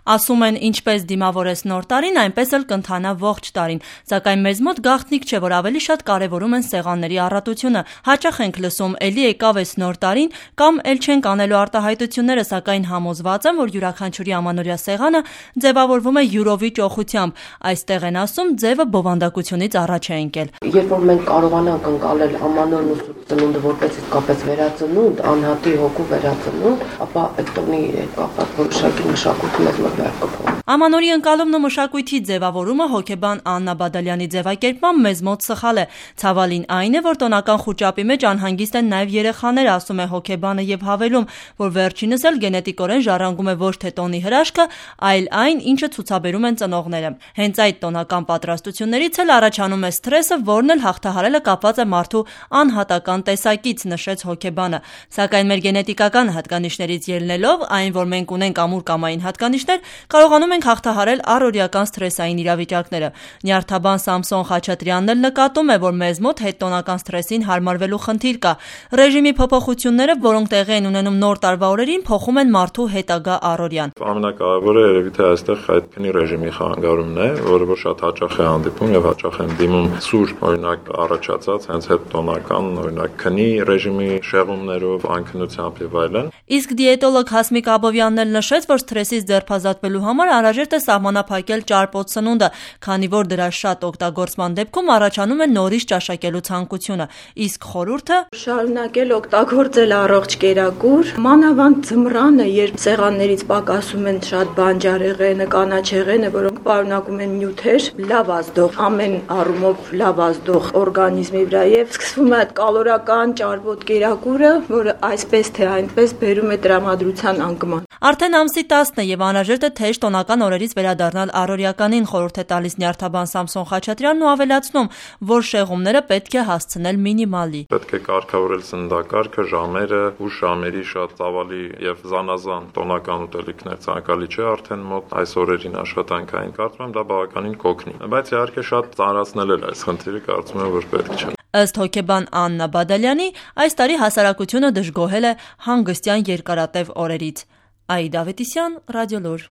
Ասում են, ինչպես դիմավորես նոր տարին, այնպես էլ կընթանա ողջ տարին, սակայն մեզ մոտ գաղտնիք չէ, որ ավելի շատ կարևորում են սեղանների առատությունը։ Հաճախ ենք լսում, էլի եկավ էս նոր տարին, կամ էլ չենք անելու արտահայտությունները, սակայն համոզված եմ, որ յուրաքանչյուրի ամանորյա սեղանը ձևավորվում է յուրովի ճոխությամբ։ Այստեղ են ասում, ձևը բովանդակությունից առաջ է ընկել։ Երբ որ մենք կարողանանք ընկալել ամանորն ու ծնունդը որպես իսկապես վերածնունդ, անհատի հոգու վերածնունդ, ապա այդ տոնի կապված որոշակի մշակույթը մեզ մոտ վեր կփոխի։ Ամանորի ընկալումն ու մշակույթի ձևավորումը հոգեբան Աննա Բադալյանի ձևակերպմամբ մեզ մոտ սխալ է։ Ցավալին այն է, որ տոնական խուճապի մեջ անհանգիստ են նաև երեխաները, ասում է հոգեբանը եւ հավելում, որ վերջինս էլ գենետիկորեն ժառանգում է ոչ թե տոնի հրաշքը, այլ այն, ինչը ցուցաբերում են ծնողները։ Հենց այդ տոնական պատրաստություններից էլ առաջանում է սթրեսը, որն էլ հաղթահարելը կապված է մարդու անհատական տեսակից, նշեց հոգեբանը։ Սակայն մեր գենետիկական հատկանիշներից ելնելով, այն, որ մենք ունենք ամուր կամային հատկանիշներ, կարողանում ենք հաղթահարել առօրյական սթրեսային իրավիճակները։ Նյարդաբան Սամսոն Խաչատրյանն էլ նկատում է, որ մեզ մոտ հետտոնական սթրեսին հարմարվելու խնդիր կա։ Ռեժիմի փոփոխությունները, որոնք տեղի են ունենում նոր տարվա օրերին, փոխում են մարդու հետագա առօրյան։ Ամենակարևորը երևի թե այստեղ այդ քնի ռեժիմի խանգարումն է, որը որ շատ հաճախ է հանդիպում եւ հաճախ են դիմում սուր, օրինակ առաջացած հենց հետտոնական, օրինակ քնի ռեժիմի շեղումներով, անքնությամբ եւ այլն։ Իսկ դիետոլոգ Հասմիկ Աբովյանն էլ նշեց, որ սթրեսից ձերբազատվելու համար անհրաժեշտ է սահմանափակել ճարպոտ սնունդը, քանի որ դրա շատ օգտագործման դեպքում առաջանում է նորից ճաշակելու ցանկությունը։ Իսկ խորհուրդը շարունակել օգտագործել առողջ կերակուր, մանավանդ ձմռանը, երբ սեղաններից պակասում են շատ բանջարեղենը, կանաչեղենը, որոնք պարունակում են նյութեր, լավ ազդող, ամեն առումով լավ ազդող օրգանիզմի վրա եւ սկսվում է այդ կալորական ճարպոտ կերակուրը, որը այսպես թե այնպես բերում է տրամադրության անկման։ Արդեն ամսի 10-ն է եւ անհրաժեշտ է թեժ տոնական օրերից վերադառնալ առօրյականին, խորհուրդ է տալիս նյարդաբան Սամսոն Խաչատրյանն ու ավելացնում, որ շեղումները պետք է հասցնել մինիմալի։ Պետք է կարգավորել սննդակարգը, ժամերը, ուշ ժամերի շատ ծավալի եւ զանազան տոնական ուտելիքներ ցանկալի չէ արդեն մոտ այս օրերին աշխատանքային, կարծում եմ դա բավականին կօգնի։ Բայց իհարկե շատ ծանրացնել էլ այս խնդիրը կարծում եմ որ պետք չէ։ Ըստ հոգեբան Աննա Բադալյանի, այս տարի հասարակությունը դժգոհել է հանգստյան երկարատև օրերից։ Այդա Ավետիսյան, Ռադիոլուր։